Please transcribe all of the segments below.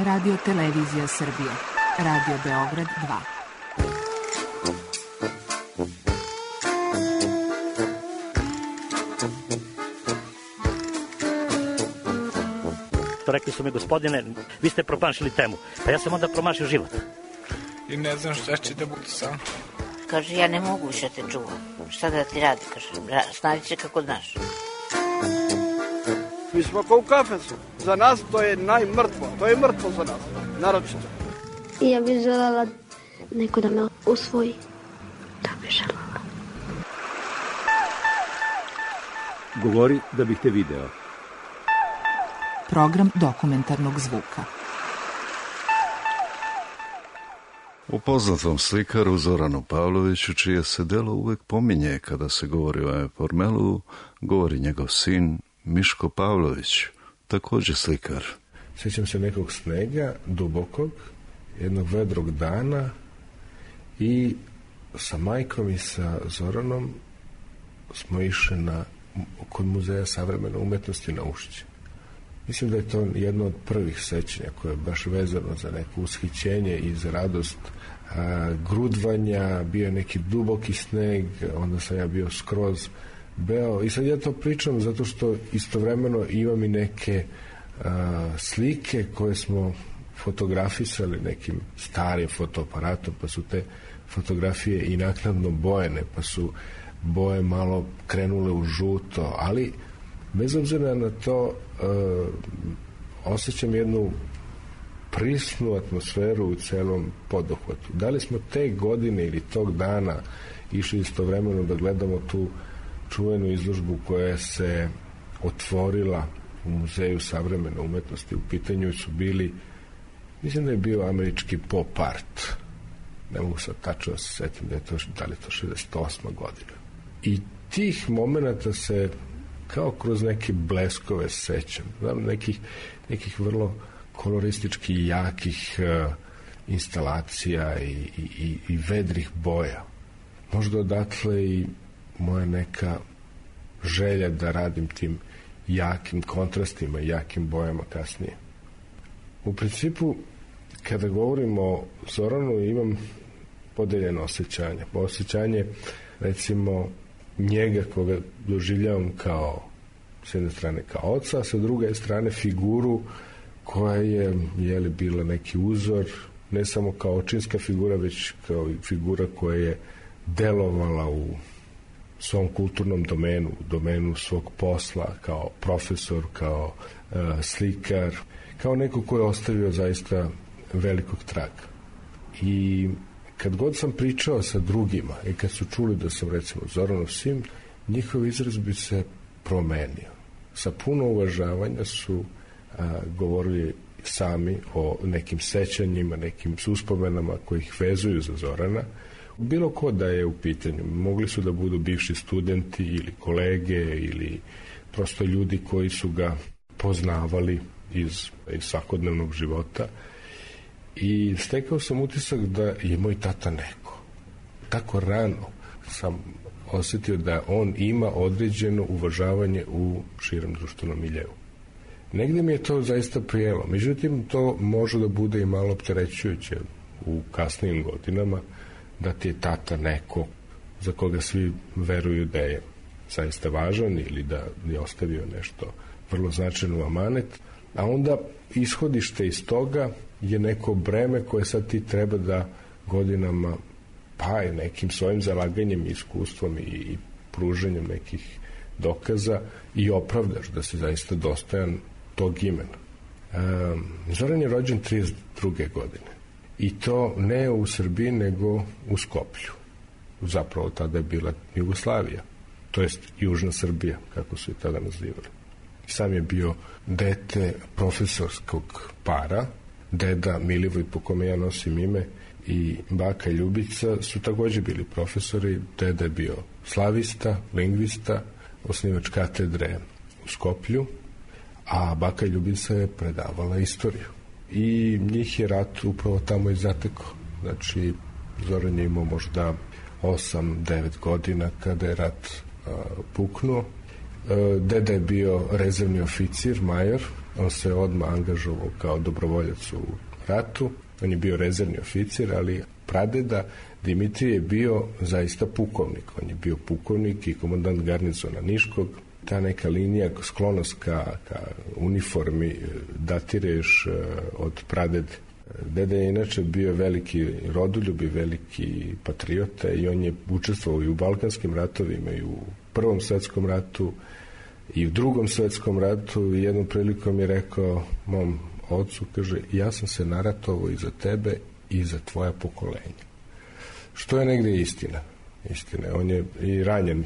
Radio Televizija Srbije. Radio Beograd 2. Rekli su mi, gospodine, vi ste promašili temu. Pa ja sam onda promašio život. I ne znam šta će da bude sam. Kaže, ja ne mogu više te čuvam. Šta da ti radi? Kaže, snađi se kako znaš. Mi smo kao u kafesu. Za nas to je najmrtvo. To je mrtvo za nas. Naročito. I ja bih željela neko da me usvoji. Da bih željela. Govori da bih te video. Program dokumentarnog zvuka. O poznatom slikaru Zoranu Pavloviću, čije se delo uvek pominje kada se govori o Formelu, govori njegov sin Miško Pavlović, također slikar. Sjećam se nekog snega, dubokog, jednog vedrog dana i sa majkom i sa Zoranom smo išli kod Muzeja savremene umetnosti na Ušće. Mislim da je to jedno od prvih sećanja koje je baš vezano za neko ushićenje i za radost grudvanja, bio je neki duboki sneg, onda sam ja bio skroz beo i sad ja to pričam zato što istovremeno imam i neke slike koje smo fotografisali nekim starim fotoaparatom, pa su te fotografije i naknadno bojene, pa su boje malo krenule u žuto, ali bez obzira na to osjećam jednu prisnu atmosferu u celom poduhvatu. Da li smo te godine ili tog dana išli istovremeno da gledamo tu čuvenu izložbu koja se otvorila u Muzeju savremene umetnosti. U pitanju su bili, mislim da je bio američki pop art. Ne mogu sad tačno da se setim da li je to 68. godina. I tih momenata se kao kroz neke bleskove sećam. Znam nekih vrlo koloristički jakih instalacija i vedrih boja. Možda odatle i moja neka želja da radim tim jakim kontrastima i jakim bojama kasnije. U principu, kada govorim o Zoranu, imam podeljeno osjećanje. Osjećanje, recimo, njega koga doživljavam kao, s jedne strane kao oca, a sa druge strane figuru koja je bila neki uzor, ne samo kao očinska figura, već kao figura koja je delovala u svom kulturnom domenu, u domenu svog posla, kao profesor, kao slikar, kao neko ko je ostavio zaista velikog traga. I kad god sam pričao sa drugima i kad su čuli da sam, recimo, Zoranov sin, njihov izraz bi se promenio. Sa puno uvažavanja su govorili sami o nekim sećanjima, nekim uspomenama koji ih vezuju za Zorana. Bilo ko da je u pitanju. Mogli su da budu bivši studenti ili kolege ili prosto ljudi koji su ga poznavali iz svakodnevnog života. I stekao sam utisak da je moj tata neko. Tako rano sam osjetio da on ima određeno uvažavanje u širem društvenom miljeu. Negdje mi je to zaista prijelo. Međutim, to može da bude i malo opterećujuće u kasnijim godinama, da ti je tata neko za koga svi veruju da je zaista važan ili da je ostavio nešto vrlo značajno amanet, a onda ishodište iz toga je neko breme koje sad ti treba da godinama, pa i nekim svojim zalaganjem i iskustvom i pruženjem nekih dokaza i opravdaš da si zaista dostojan tog imena. Zoran je rođen 32. godine. I to ne u Srbiji, nego u Skoplju. Zapravo tada je bila Jugoslavija, to jest Južna Srbija, kako su je tada nazivali. Sam je bio dete profesorskog para, deda Milivoj, po kome ja nosim ime, i baka Ljubica su također bili profesori. Deda je bio slavista, lingvista, osnivač katedre u Skoplju, a baka Ljubica je predavala istoriju. I njih je rat upravo tamo i zatekao. Znači, Zoran je imao možda 8-9 godina kada je rat puknuo. Deda je bio rezervni oficir, major, On se odmah angažovao kao dobrovoljac u ratu. On je bio rezervni oficir, ali pradeda Dimitrije je bio zaista pukovnik. On je bio pukovnik i komandant garnizona Niškog. Ta neka linija, sklonost ka uniformi datira još od pradede. Deda je inače bio veliki rodoljub i veliki patriota i on je učestvovao i u Balkanskim ratovima i u Prvom svetskom ratu i u Drugom svetskom ratu i jednom prilikom je rekao mom ocu, kaže, ja sam se naratovao i za tebe i za tvoja pokolenja. Što je negde istina. On je i ranjen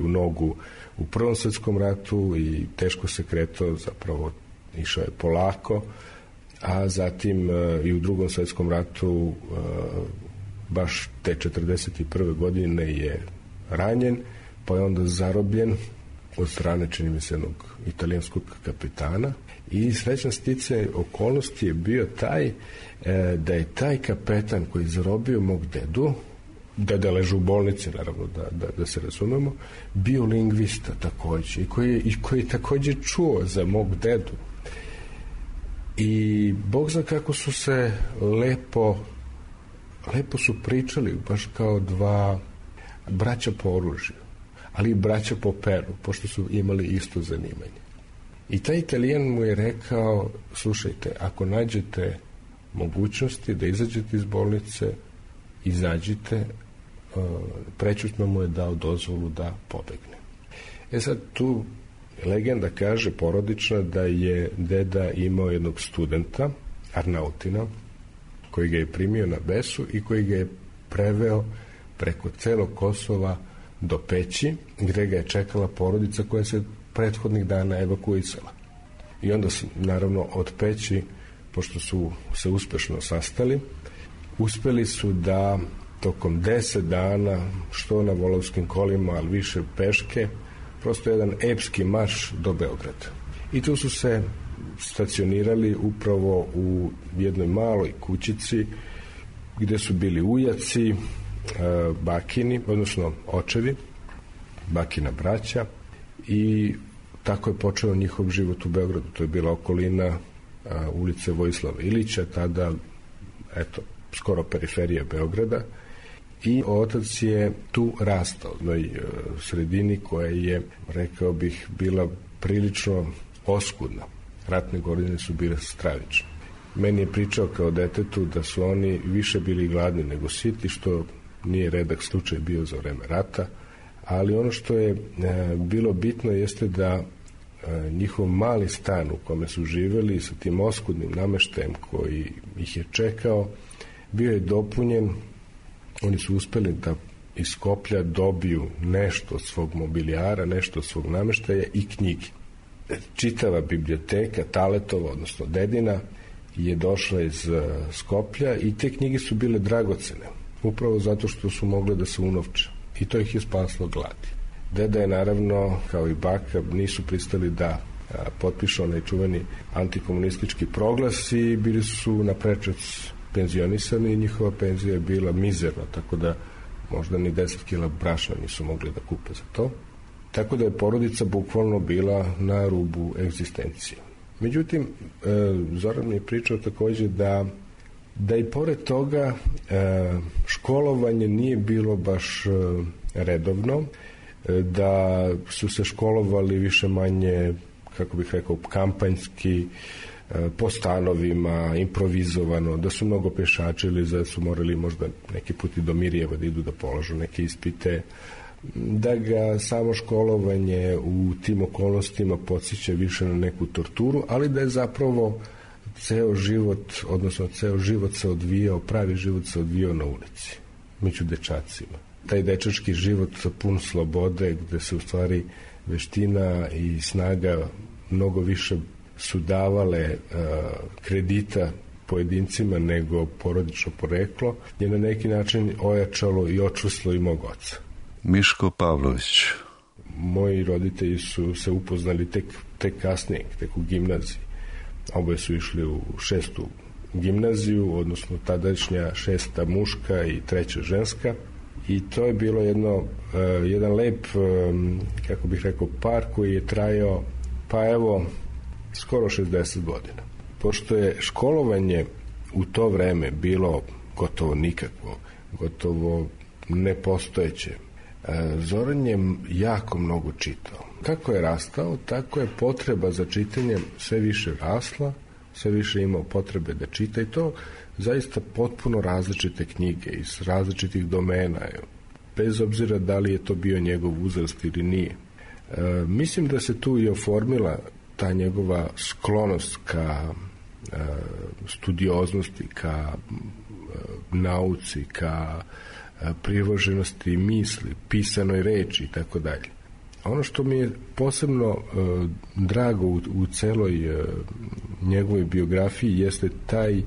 u nogu u Prvom svetskom ratu i teško se kretao, zapravo išao je polako, a zatim i u Drugom svetskom ratu baš te 41. godine je ranjen, pa je onda zarobljen od strane, čini mi se, jednog italijanskog kapitana i srećan sticaj okolnosti je bio taj da je taj kapetan koji je zarobio mog dedu, deda leže u bolnici, naravno, da se razumemo, bio lingvista takođe i koji je takođe čuo za mog dedu. I Bog zna kako su se lepo su pričali, baš kao dva braća po oružju, ali i braća po peru, pošto su imali isto zanimanje. I taj Italijan mu je rekao, slušajte, ako nađete mogućnosti da izađete iz bolnice, izađite, prećutno mu je dao dozvolu da pobegne. Sad tu legenda kaže, porodična, da je deda imao jednog studenta, Arnautina, koji ga je primio na besu i koji ga je preveo preko celog Kosova do Peći, gde ga je čekala porodica koja se prethodnih dana evakuisala. I onda, naravno, od Peći, pošto su se uspešno sastali, uspeli su da tokom 10 dana, što na volovskim kolima, ali više peške, prosto jedan epski marš do Beograda. I tu su se stacionirali upravo u jednoj maloj kućici gde su bili ujaci, bakini, odnosno očevi, bakina braća, i tako je počeo njihov život u Beogradu. To je bila okolina ulice Vojislava Ilića, tada, skoro periferija Beograda, i otac je tu rastao, u jednoj sredini koja je, rekao bih, bila prilično oskudna. Ratne godine su bile stravične. Meni je pričao kao detetu da su oni više bili gladni nego siti, što nije redak slučaj bio za vreme rata, ali ono što je bilo bitno jeste da njihov mali stan u kome su živeli sa tim oskudnim nameštajem koji ih je čekao, bio je dopunjen. Oni su uspeli da iz Skoplja dobiju nešto od svog mobilijara, nešto od svog nameštaja i knjige. Čitava biblioteka Taletova, odnosno dedina, je došla iz Skoplja i te knjige su bile dragocene, upravo zato što su mogle da se unovče. I to ih je spaslo gladi. Deda je, naravno, kao i baka, nisu pristali da potpišu onaj čuveni antikomunistički proglas i bili su na prečac penzionisani i njihova penzija je bila mizerna, tako da možda ni 10 kila brašna nisu mogli da kupe za to. Tako da je porodica bukvalno bila na rubu egzistencije. Međutim, Zoran mi je pričao takođe da i pored toga školovanje nije bilo baš redovno, da su se školovali više manje, kako bih rekao, kampanjski, po stanovima, improvizovano, da su mnogo pešačili, da su morali možda neki put i do Mirjeva da idu da polažu neke ispite, da ga samo školovanje u tim okolnostima podsjeća više na neku torturu, ali da je zapravo ceo život se odvijao, pravi život se odvijao na ulici, među dečacima. Taj dečački život pun slobode, gde se u stvari veština i snaga mnogo više su davale kredita pojedincima nego porodično poreklo, je na neki način ojačalo i očvrslo i mog oca. Miško Pavlović. Moji roditelji su se upoznali tek kasnije, tek u gimnaziji. Oboje su išli u 6. gimnaziju, odnosno tadašnja 6. muška i 3. ženska. I to je bilo jedan lep, kako bih rekao, par koji je trajao, pa evo, skoro 60 godina. Pošto je školovanje u to vreme bilo gotovo nikakvo, gotovo nepostojeće, Zoran je jako mnogo čitao. Kako je rastao, tako je potreba za čitanjem sve više rasla, sve više imao potrebe da čita i to zaista potpuno različite knjige iz različitih domena, bez obzira da li je to bio njegov uzrast ili nije. Mislim da se tu i oformila ta njegova sklonost ka studioznosti, ka nauci, ka privoženosti misli, pisanoj reči i tako dalje. Ono što mi je posebno drago u celoj njegovoj biografiji jeste taj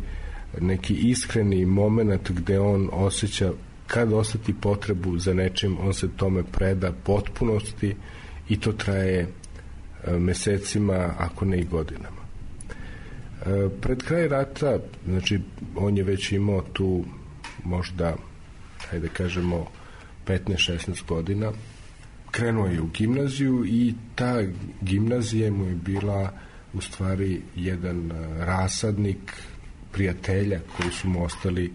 neki iskreni moment gde on osjeća kad osjeti potrebu za nečim, on se tome preda potpunosti i to traje mesecima, ako ne i godinama. Pred kraj rata, znači, on je već imao tu možda, hajde kažemo, 15-16 godina, krenuo je u gimnaziju i ta gimnazija mu je bila u stvari jedan rasadnik prijatelja koji su mu ostali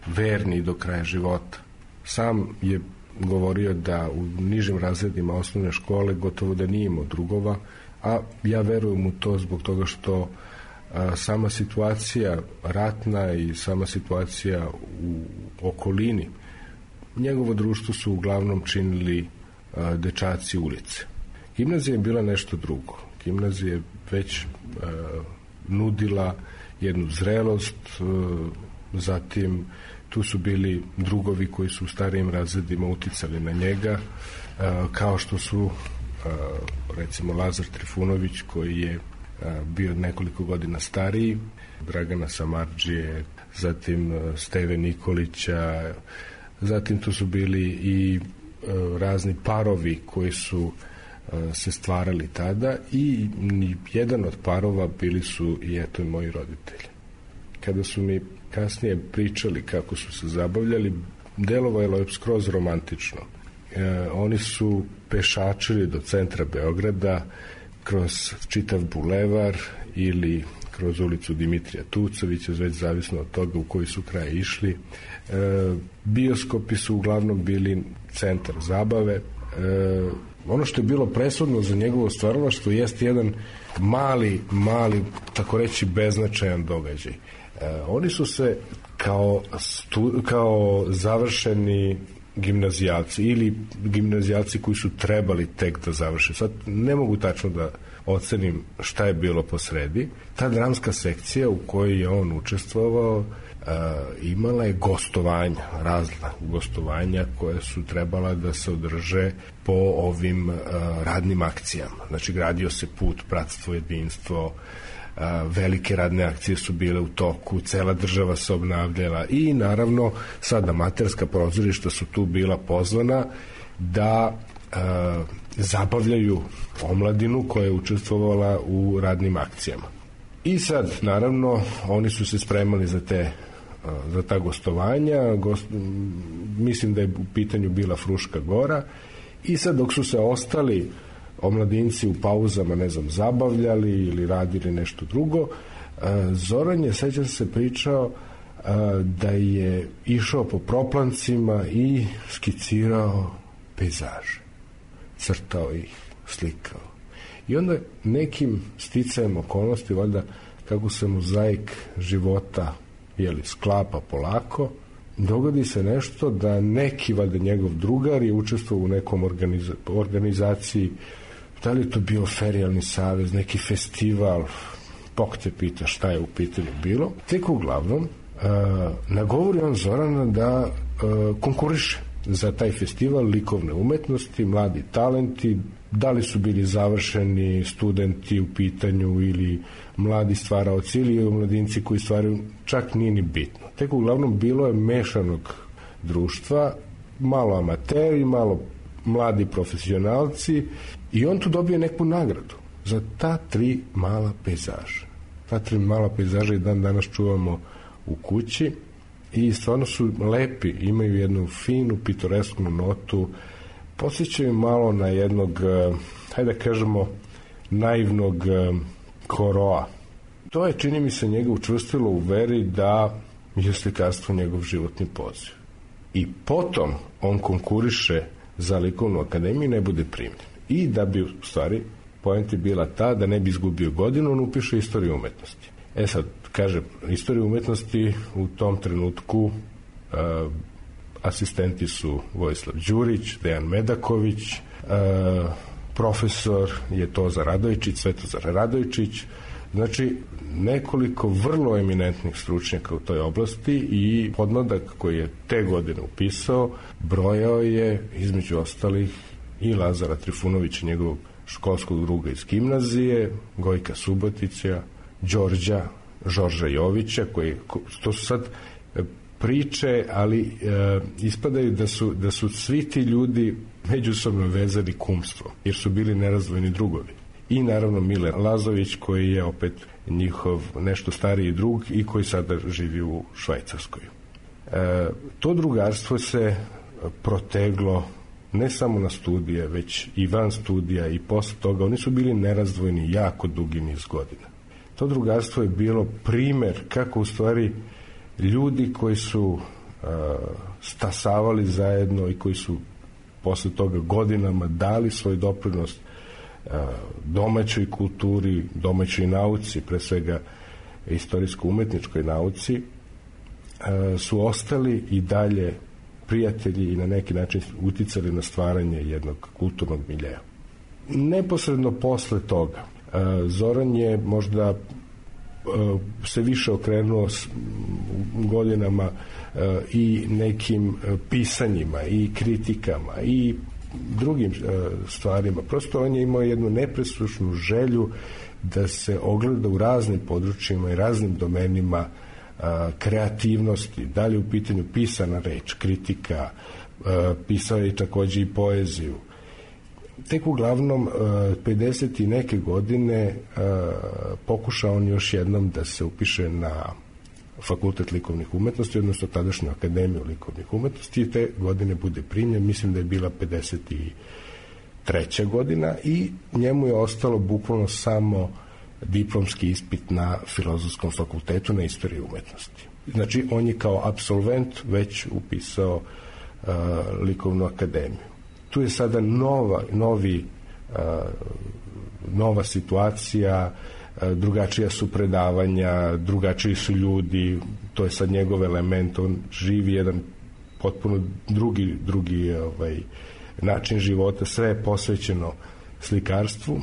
verni do kraja života. Sam je govorio da u nižim razredima osnovne škole gotovo da nije imao drugova, a ja verujem u to zbog toga što sama situacija ratna i sama situacija u okolini, njegovo društvo su uglavnom činili dečaci ulice. Gimnazija je bila nešto drugo. Gimnazija je već nudila jednu zrelost, zatim tu su bili drugovi koji su u starijim razredima uticali na njega, kao što su recimo Lazar Trifunović koji je bio nekoliko godina stariji, Dragana Samardžije, zatim Steve Nikolića, zatim tu su bili i razni parovi koji su se stvarali tada i jedan od parova bili su i eto i moji roditelji. Kada su mi kasnije pričali kako su se zabavljali, delovalo je skroz romantično. Oni su pešačili do centra Beograda kroz čitav bulevar ili kroz ulicu Dimitrija Tucovića, već zavisno od toga u koji su kraj išli. Bioskopi su uglavnom bili centar zabave. Ono što je bilo presudno za njegovo stvaralaštvo jeste jedan mali, tako reći, beznačajan događaj. Oni su se kao završeni gimnazijalci ili gimnazijalci koji su trebali tek da završe. Sad ne mogu tačno da ocenim šta je bilo posredi. Ta dramska sekcija u kojoj je on učestvovao imala je gostovanja, razna gostovanja koje su trebala da se održe po ovim radnim akcijama. Znači, gradio se put, bratstvo, jedinstvo, velike radne akcije su bile u toku, cela država se obnavljala i naravno sad amaterska pozorišta su tu bila pozvana da zabavljaju omladinu koja je učestvovala u radnim akcijama. I sad, naravno, oni su se spremali za ta gostovanja, mislim da je u pitanju bila Fruška Gora i sad dok su se ostali omladinci u pauzama, ne znam, zabavljali ili radili nešto drugo, Zoran je, sećam se, pričao da je išao po proplancima i skicirao pejzaže, crtao ih, slikao. I onda nekim sticajem okolnosti, valjda kako se mozaik života sklapa polako, dogodi se nešto da neki, valjda njegov drugar je učestvovao u nekom organizaciji, da li je to bio ferijalni savez, neki festival, Bog te pita šta je u pitanju bilo. Tek uglavnom nagovori on Zorana da konkuriše za taj festival likovne umetnosti, mladi talenti, da li su bili završeni studenti u pitanju ili mladi stvaraoci ili mladinci koji stvaraju, čak nije ni bitno. Tek uglavnom bilo je mešanog društva, malo amateri, malo mladi profesionalci i on tu dobije neku nagradu za ta 3 mala pejzaža. Ta 3 mala pejzaža i dan danas čuvamo u kući i stvarno su lepi, imaju jednu finu pitoresknu notu, podsjećaju malo na jednog, hajde da kažemo, naivnog Koroa. To je, čini mi se, njega učvrstilo u veri da je slikarstvo njegov životni poziv. I potom on konkuriše za likovnu akademiju i ne bude primljen. I da bi, u stvari, poenta bila ta da ne bi izgubio godinu, on upiše istoriju umetnosti. Sad, kaže, istoriju umetnosti u tom trenutku asistenti su Vojislav Đurić, Dejan Medaković, profesor je Tozar Radojčić, Svetozar Radojčić, znači nekoliko vrlo eminentnih stručnjaka u toj oblasti i podmladak koji je te godine upisao brojao je između ostalih i Lazara Trifunovića, njegovog školskog druga iz gimnazije, Gojka Subotića, Đorđa Jovića, to su sad priče, ali ispadaju da su svi ti ljudi međusobno vezani kumstvo, jer su bili nerazdvojni drugovi. I naravno Mile Lazović, koji je opet njihov nešto stariji drug i koji sada živi u Švajcarskoj. To drugarstvo se proteglo ne samo na studije, već i van studija i posle toga. Oni su bili nerazdvojni jako dugi niz godina. To drugarstvo je bilo primer kako u stvari ljudi koji su stasavali zajedno i koji su posle toga godinama dali svoj doprinos domaćoj kulturi, domaćoj nauci, pre svega istorijsko-umetničkoj nauci, su ostali i dalje prijatelji i na neki način uticali na stvaranje jednog kulturnog miljeja. Neposredno posle toga Zoran je možda se više okrenuo godinama i nekim pisanjima i kritikama i drugim stvarima. Prosto on je imao jednu nepresušnu želju da se ogleda u raznim područjima i raznim domenima kreativnosti, da li u pitanju pisana reč, kritika, pisao je takođe i poeziju. Tek uglavnom 50 i neke godine pokušao on još jednom da se upiše na Fakultet likovnih umetnosti, odnosno tadašnju Akademiju likovnih umetnosti, i te godine bude primljen, mislim da je bila 53. godina, i njemu je ostalo bukvalno samo diplomski ispit na Filozofskom fakultetu na istoriji umetnosti. Znači, on je kao apsolvent već upisao likovnu akademiju. Tu je sada nova situacija, drugačija su predavanja, drugačiji su ljudi, to je sad njegov element, on živi jedan potpuno drugi način života, sve je posvećeno slikarstvu,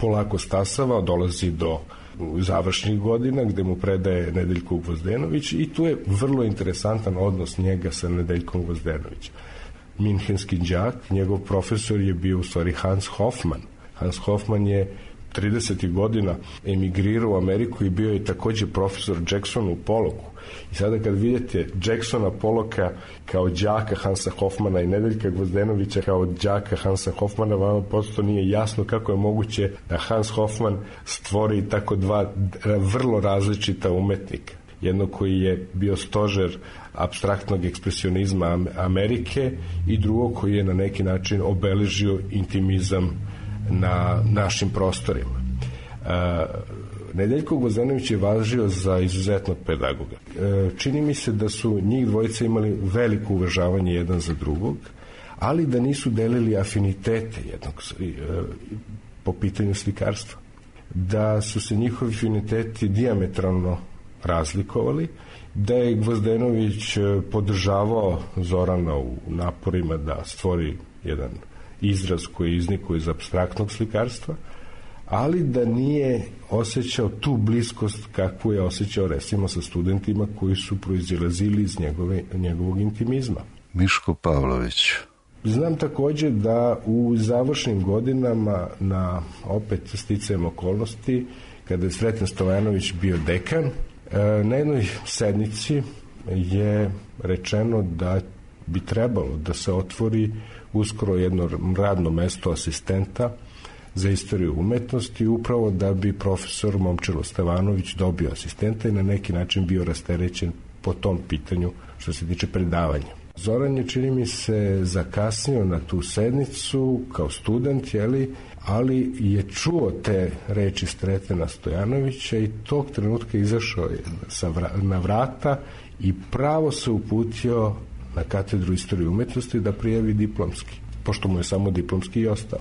polako stasava, dolazi do završnih godina gde mu predaje Nedeljko Gvozdenović, i tu je vrlo interesantan odnos njega sa Nedeljkom Gvozdenovićem. Minhenski đak, njegov profesor je bio u stvari Hans Hofmann. Hans Hofmann je 30. godina emigrirao u Ameriku i bio je takođe profesor Jacksonu u Pollocku. I sada kad vidite Jacksona Pollocka kao đaka Hansa Hofmana i Nedeljka Gvozdenovića kao đaka Hansa Hofmana, vama prosto nije jasno kako je moguće da Hans Hofmann stvori tako dva vrlo različita umetnika. Jedno koji je bio stožer apstraktnog ekspresionizma Amerike i drugo koji je na neki način obeležio intimizam na našim prostorima. Nedeljko Gvozdenović je važio za izuzetnog pedagoga. Čini mi se da su njih dvojica imali veliko uvažavanje jedan za drugog, ali da nisu delili afinitete jednog po pitanju slikarstva. Da su se njihovi afiniteti dijametralno razlikovali, da je Gvozdenović podržavao Zorana u naporima da stvori jedan izraz koji iznikuje iz apstraktnog slikarstva, ali da nije osjećao tu bliskost kakvu je osjećao recimo sa studentima koji su proizilazili iz njegovog intimizma. Miško Pavlović. Znam takođe da u završnim godinama, na opet sticajem okolnosti, kada je Sreten Stojanović bio dekan, na jednoj sednici je rečeno da bi trebalo da se otvori uskoro jedno radno mesto asistenta za istoriju umetnosti, upravo da bi profesor Momčilo Stevanović dobio asistenta i na neki način bio rasterećen po tom pitanju što se tiče predavanja. Zoran je, čini mi se, zakasnio na tu sednicu kao student, ali je čuo te reči Sretena Stojanovića i tog trenutka izašao je na vrata i pravo se uputio na katedru istorije umetnosti da prijavi diplomski, pošto mu je samo diplomski i ostao.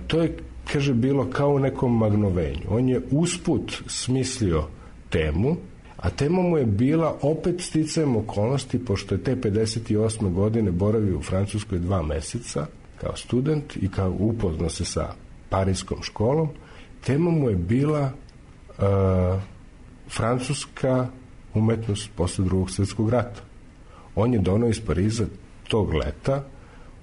To je, kaže, bilo kao u nekom magnovenju. On je usput smislio temu, a tema mu je bila opet sticajem okolnosti, pošto je te 58. godine boravio u Francuskoj 2 meseca kao student i kao upoznao se sa parijskom školom. Tema mu je bila francuska umetnost posle Drugog svjetskog rata. On je donao iz Pariza tog leta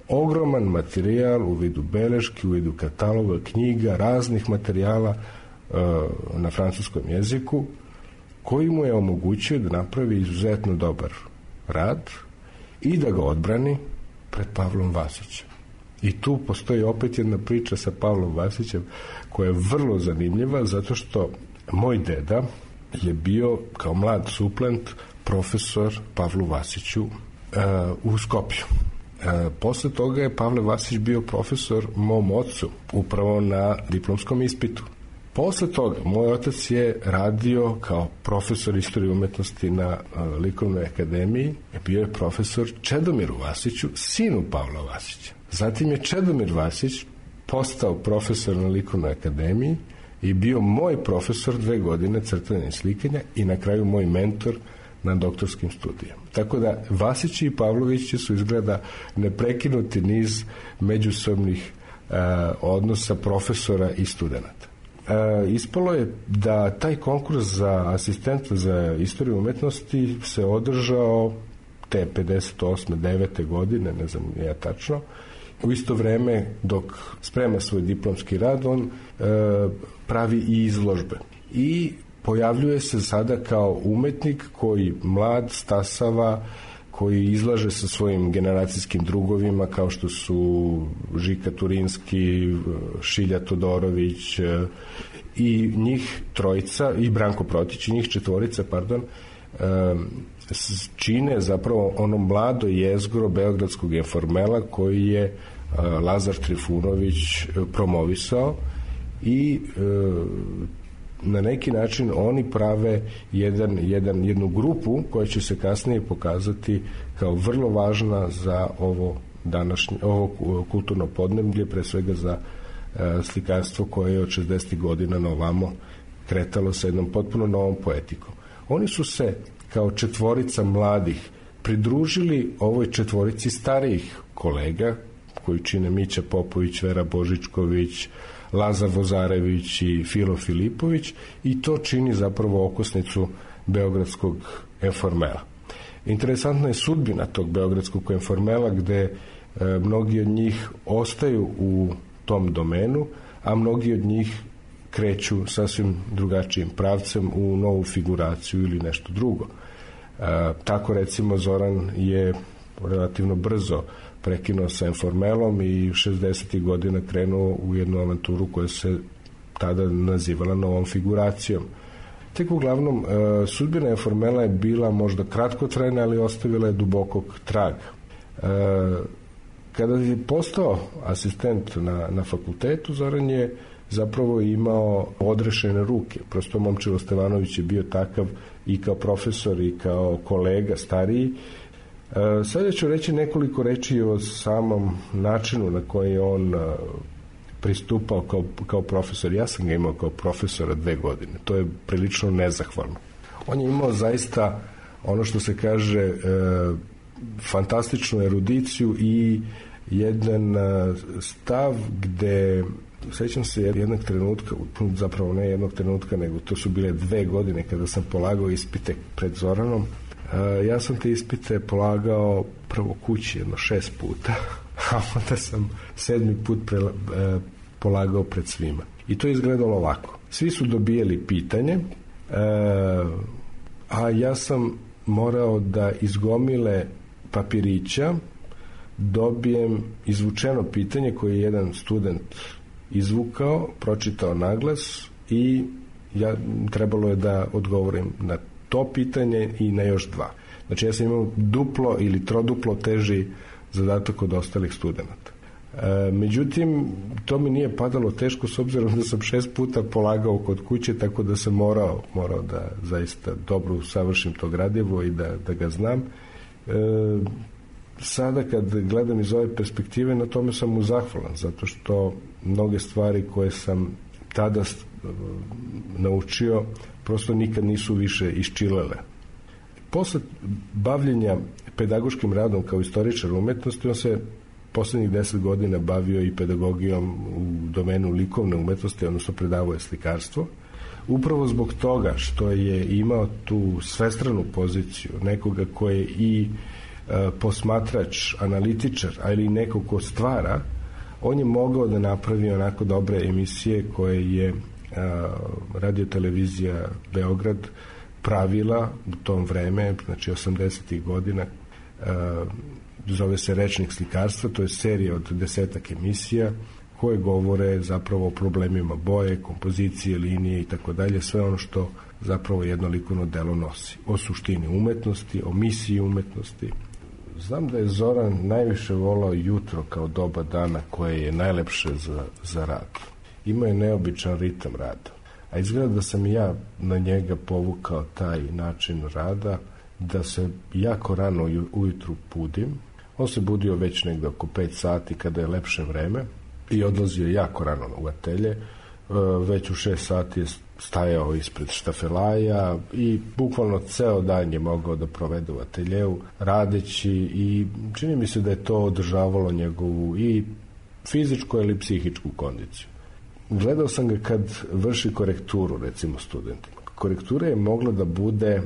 ogroman materijal u vidu beleški, u vidu kataloga, knjiga, raznih materijala na francuskom jeziku, koji mu je omogućio da napravi izuzetno dobar rad i da ga odbrani pred Pavlom Vasićem. I tu postoji opet jedna priča sa Pavlom Vasićem koja je vrlo zanimljiva, zato što moj deda je bio kao mlad suplent profesor Pavlu Vasiću u Skopju. Posle toga je Pavle Vasić bio profesor mom ocu upravo na diplomskom ispitu. Posle toga moj otac je radio kao profesor istorije umetnosti na Likovnoj akademiji, bio je profesor Čedomiru Vasiću, sinu Pavla Vasića. Zatim je Čedomir Vasić postao profesor na Likovnoj akademiji i bio moj profesor 2 godine crtanja i slikanja i na kraju moj mentor na doktorskim studijama. Tako da Vasići i Pavlovići su izgleda neprekinuti niz međusobnih odnosa profesora i studenata. Ispalo je da taj konkurs za asistenta za istoriju umetnosti se održao te 58. 9. godine, ne znam ja tačno. U isto vreme dok sprema svoj diplomski rad, on pravi i izložbe. I pojavljuje se sada kao umetnik koji mlad stasava, koji izlaže sa svojim generacijskim drugovima kao što su Žika Turinski, Šilja Todorović i njih trojica, i Branko Protić, i njih četvorica, čine zapravo ono mlado jezgro beogradskog informela koji je Lazar Trifunović promovisao i na neki način oni prave jednu grupu koja će se kasnije pokazati kao vrlo važna za ovo kulturno podneblje, pre svega za slikarstvo koje je od 60. godina na ovamo kretalo sa jednom potpuno novom poetikom. Oni su se kao četvorica mladih pridružili ovoj četvorici starijih kolega koji čine Mića Popović, Vera Božičković, Lazar Vozarević i Filo Filipović, i to čini zapravo okosnicu beogradskog informela. Interesantna je sudbina tog beogradskog informela, gde mnogi od njih ostaju u tom domenu, a mnogi od njih kreću sasvim drugačijim pravcem u novu figuraciju ili nešto drugo. Tako recimo Zoran je relativno brzo prekinuo sa informelom i 60. godina krenuo u jednu avanturu koja se tada nazivala novom figuracijom. Tek uglavnom, sudbina informela je bila možda kratkotrajna, ali ostavila je dubokog traga. Kada je postao asistent na fakultetu, Zoran je zapravo imao odrešene ruke. Prosto Momčilo Stevanović je bio takav i kao profesor i kao kolega stariji. Sada ću reći nekoliko reči o samom načinu na koji on pristupao kao profesor. Ja sam ga imao kao profesora 2 godine. To je prilično nezahvalno. On je imao zaista ono što se kaže fantastičnu erudiciju i jedan stav gde, sećam se jednog trenutka, zapravo ne jednog trenutka, nego to su bile 2 godine kada sam polagao ispite pred Zoranom. Ja sam te ispite polagao prvo kući 6 puta, a onda sam 7. put polagao pred svima. I to je izgledalo ovako. Svi su dobijeli pitanje, a ja sam morao da iz gomile papirića dobijem izvučeno pitanje koje je jedan student izvukao, pročitao naglas i trebalo je da odgovorim na to pitanje i na još 2. Znači ja sam imao duplo ili troduplo teži zadatak od ostalih studenata. Međutim, to mi nije padalo teško s obzirom da sam 6 puta polagao kod kuće, tako da sam morao da zaista dobro usavršim to gradivo i da ga znam. Sada kad gledam iz ove perspektive, na tome sam mu zahvalan, zato što mnoge stvari koje sam tada naučio prosto nikad nisu više iščilele. Posle bavljenja pedagoškim radom kao istoričar umetnosti, on se poslednjih 10 godina bavio i pedagogijom u domenu likovne umetnosti, odnosno predavao je slikarstvo. Upravo zbog toga što je imao tu svestranu poziciju nekoga ko je i posmatrač, analitičar, ali i neko ko stvara, on je mogao da napravi onako dobre emisije koje je radiotelevizija Beograd pravila u tom vreme, znači 80. godina, zove se Rečnik slikarstva, to je serija od 10 emisija koje govore zapravo o problemima boje, kompozicije, linije i tako dalje, sve ono što zapravo jedno likovno delo nosi. O suštini umetnosti, o misiji umetnosti. Znam da je Zoran najviše volao jutro kao doba dana koje je najlepše za rad. Imao je neobičan ritam rada. A izgleda da sam i ja na njega povukao taj način rada, da se jako rano ujutru budim. On se budio već negde oko 5 sati kada je lepše vreme i odlazio jako rano u atelje. Već u 6 sati je stajao ispred štafelaja i bukvalno ceo dan je mogao da provede u ateljeu radeći i čini mi se da je to održavalo njegovu i fizičku ili psihičku kondiciju. Gledao sam ga kad vrši korekturu, recimo studentima. Korektura je mogla da bude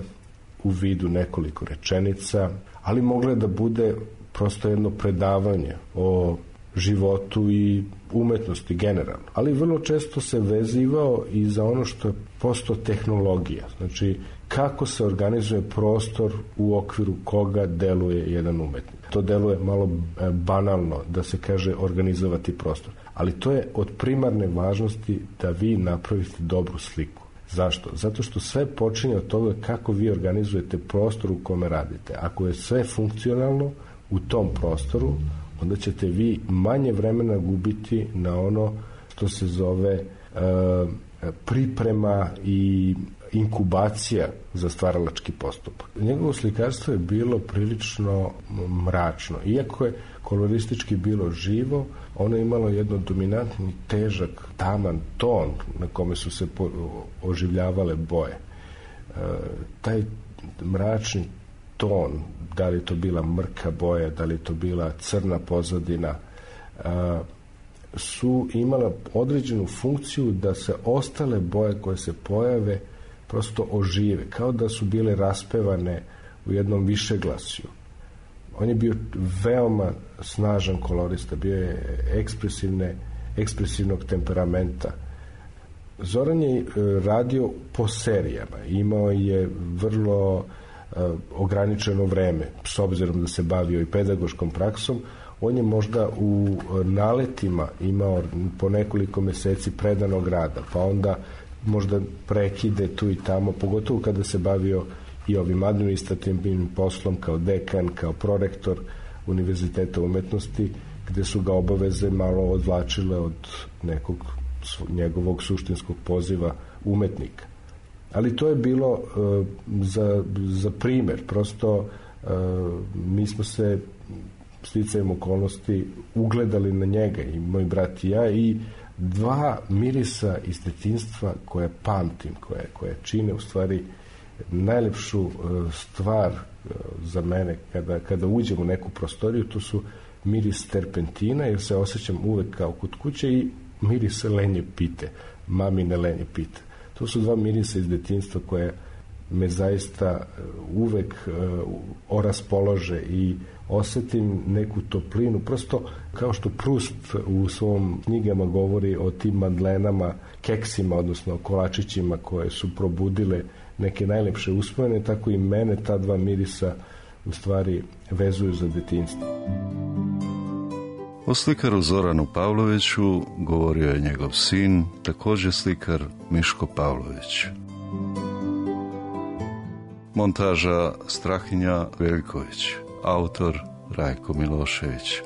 u vidu nekoliko rečenica, ali mogla je da bude prosto jedno predavanje o životu i umetnosti generalno. Ali vrlo često se vezivao i za ono što je posto tehnologija. Znači, kako se organizuje prostor u okviru koga deluje jedan umetnik. To deluje malo banalno da se kaže organizovati prostor. Ali to je od primarne važnosti da vi napravite dobru sliku. Zašto? Zato što sve počinje od toga kako vi organizujete prostor u kome radite. Ako je sve funkcionalno u tom prostoru, onda ćete vi manje vremena gubiti na ono što se zove priprema i inkubacija za stvaralački postupak. Njegovo slikarstvo je bilo prilično mračno. Iako je koloristički bilo živo, ono je imalo jedno dominantni, težak, taman ton na kome su se oživljavale boje. Taj mračni ton, da li to bila mrka boja, da li to bila crna pozadina, su imala određenu funkciju da se ostale boje koje se pojave prosto ožive, kao da su bile raspevane u jednom višeglasju. On je bio veoma snažan kolorista, bio je ekspresivnog temperamenta. Zoran je radio po serijama, imao je vrlo ograničeno vreme, s obzirom da se bavio i pedagoškom praksom. On je možda u naletima imao po nekoliko meseci predanog rada, pa onda možda prekide tu i tamo, pogotovo kada se bavio i ovim administrativnim poslom kao dekan, kao prorektor Univerziteta umetnosti, gde su ga obaveze malo odvlačile od nekog njegovog suštinskog poziva umetnika. Ali to je bilo za primer. Prosto mi smo se sticajem okolnosti ugledali na njega, i moj brat i ja, i dva mirisa iz detinjstva koje pamtim, koje čine u stvari najlepšu stvar za mene kada uđem u neku prostoriju. To su miris terpentina, jer se osjećam uvek kao kod kuće, i miris lenje pite, mamine lenje pite. To su dva mirisa iz detinjstva koje me zaista uvek oraspolože i osetim neku toplinu, prosto kao što Prust u svom knjigama govori o tim madlenama, keksima, odnosno kolačićima koje su probudile neke najlepše uspomene, tako i mene ta dva mirisa u stvari vezuju za detinjstvo. O slikaru Zoranu Pavloviću govorio je njegov sin, također slikar Miško Pavlović. Montaža Strahinja Veljković. Autor Rajko Milošević.